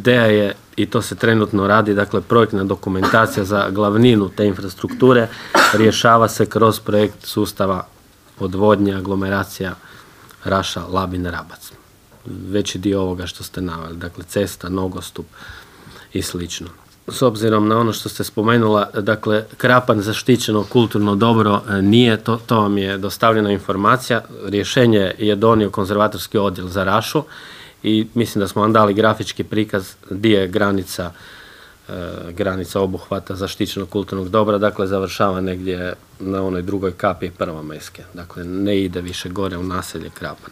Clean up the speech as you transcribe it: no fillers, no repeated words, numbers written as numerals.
ideja je, i to se trenutno radi, dakle projektna dokumentacija za glavninu te infrastrukture rješava se kroz projekt sustava odvodnje, aglomeracija Raša, Labin, Rabac. Veći dio ovoga što ste naveli, dakle cesta, nogostup i slično. S obzirom na ono što ste spomenula, dakle Krapan zaštićeno kulturno dobro nije, to vam je dostavljena informacija. Rješenje je donio konzervatorski odjel za Rašu i mislim da smo vam dali grafički prikaz gdje je granica obuhvata zaštićenog kulturnog dobra, dakle završava negdje na onoj drugoj kapi Prvomajske, dakle ne ide više gore u naselje Krapan.